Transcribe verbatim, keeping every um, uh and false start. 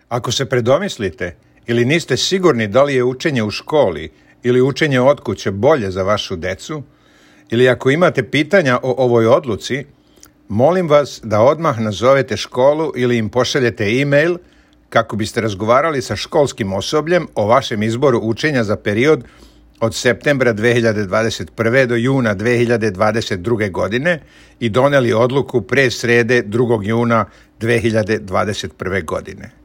Ako se predomislite ili niste sigurni da li je učenje u školi ili učenje od kuće bolje za vašu decu, ili ako imate pitanja o ovoj odluci, molim vas da odmah nazovete školu ili im pošaljete e-mail kako biste razgovarali sa školskim osobljem o vašem izboru učenja za period od septembra dve hiljade dvadeset prve. do juna dve hiljade dvadeset druge. godine i doneli odluku pre srede drugog juna dve hiljade dvadeset prve. godine.